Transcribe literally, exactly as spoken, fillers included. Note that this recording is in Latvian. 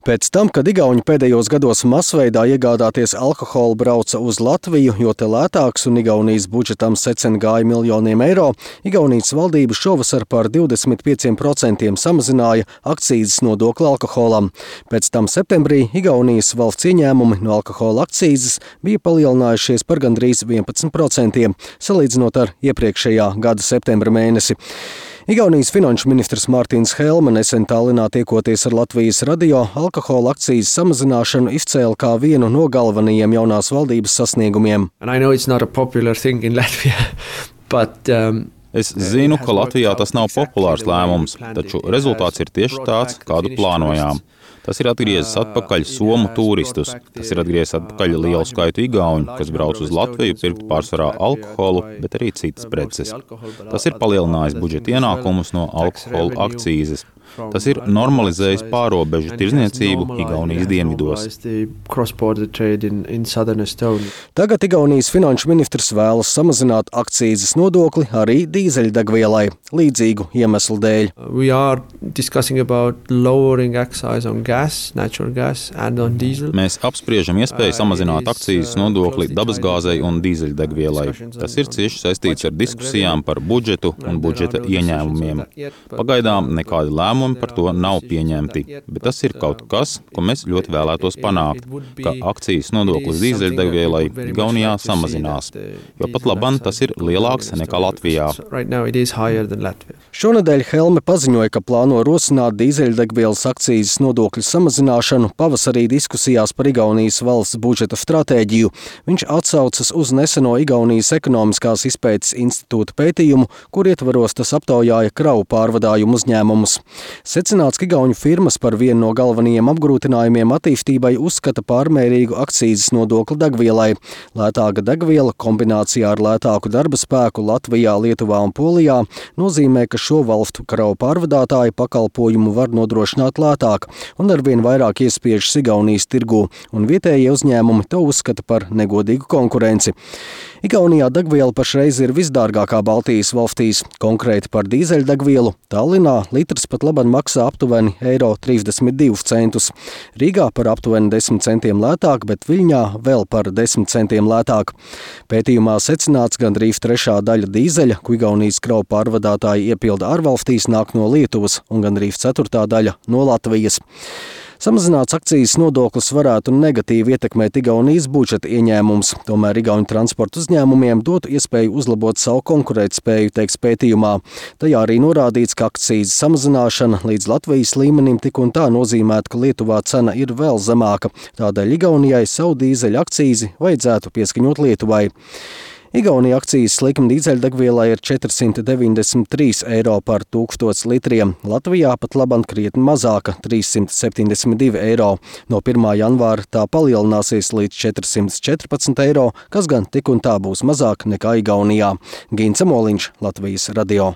Pēc tam, kad igauņi pēdējos gados masveidā iegādāties alkoholu brauca uz Latviju, jo te lētāks un Igaunijas budžetam secen gāja miljoniem eiro, Igaunijas valdība šovasar par divdesmit pieciem procentiem samazināja akcīzes nodokli alkoholam. Pēc tam septembrī Igaunijas valsts ieņēmumi no alkohola akcīzes bija palielinājušies par gandrīz vienpadsmit procentiem, salīdzinot ar iepriekšējā gada septembra mēnesi. Igaunijas finanšu ministrs Mārtiņš Helme nesen Tallinā tiekoties ar Latvijas radio alkohola akcīzes samazināšanu izcēla kā vienu no galvenajiem jaunās valdības sasniegumiem. Latvia, but, um... Es zinu, ka Latvijā tas nav populārs lēmums, taču rezultāts ir tieši tāds, kādu plānojām. Tas ir atgriezis atpakaļ somu turistus. Tas ir atgriezis atpakaļ lielu skaitu igauņu, kas brauc uz Latviju pirkt pārsvarā alkoholu, bet arī citas preces. Tas ir palielinājis budžeta ienākumus no alkohola akcīzes. Tas ir normalizējis pārobežu tirzniecību Igaunijas dienvidos. Tagad Igaunijas finanšu ministrs vēlas samazināt akcīzes nodokli arī dīzeļdegvielai, līdzīgu iemeslu dēļ. Mēs apspriežam iespēju samazināt akcīzes nodokli dabasgāzei un dīzeļdegvielai. Tas ir cieši saistīts ar diskusijām par budžetu un budžeta ieņēmumiem. Pagaidām nekādi lēmumi par to nav pieņemti, bet tas ir kaut kas, ko mēs ļoti vēlētos panākt, ka akcijas nodoklis dīzeļdegvielai Igaunijā samazinās, jo pat labam tas ir lielāks nekā Latvijā. Šonedēļ Helme paziņoja, ka plāno rosināt dīzeļdegvielas akcijas nodokļu samazināšanu pavasarī diskusijās par Igaunijas valsts budžeta stratēģiju. Viņš atsaucas uz neseno Igaunijas ekonomiskās izpētes institūta pētījumu, kur ietvaros tas aptaujāja kravu pārvadājumu uzņēmumus. Secināts, ka igauņu firmas par vienu no galvenajiem apgrūtinājumiem attīstībai uzskata pārmērīgu akcīzes nodokli degvielai. Lētāka degviela kombinācijā ar lētāku darba spēku Latvijā, Lietuvā un Polijā nozīmē, ka šo valstu kravu pārvadātāji pakalpojumu var nodrošināt lētāk un arvien vairāk iespiežas Igaunijas tirgū, un vietējie uzņēmumi to uzskata par negodīgu konkurenci. Igaunijā degviela pašreiz ir visdārgākā Baltijas valstīs. Konkrēti par dīzeļdegvielu Tallinā litrs pat labāk maksā aptuveni eiro trīsdesmit divus centus. Rīgā par aptuveni desmit centiem lētāk, bet Viļņā vēl par desmit centiem lētāk. Pētījumā secināts, gandrīz trešā daļa dīzeļa, ko Igaunijas kravu pārvadātāji iepilda ārvalstīs, nāk no Lietuvas un gandrīz ceturtā daļa no Latvijas. Samazināts akcijas nodoklis varētu negatīvi ietekmēt Igaunijas budžeta ieņēmumus, tomēr igauņu transporta uzņēmumiem dotu iespēju uzlabot savu konkurētspēju, teiks pētījumā. Tajā arī norādīts, ka akcijas samazināšana līdz Latvijas līmenim tik un tā nozīmētu, ka Lietuvā cena ir vēl zemāka, tādēļ Igaunijai savu dīzeļa akcīzi vajadzētu pieskaņot Lietuvai. Igaunija akcijas likme dīzeļdegvielai ir četrsimt deviņdesmit trīs eiro par tūkstots litriem. Latvijā pat labam krietni mazāka – trīssimt septiņdesmit divi eiro. No pirmā janvāra tā palielināsies līdz četrsimt četrpadsmit eiro, kas gan tik un tā būs mazāk nekā Igaunijā. Gints Moliņš, Latvijas radio.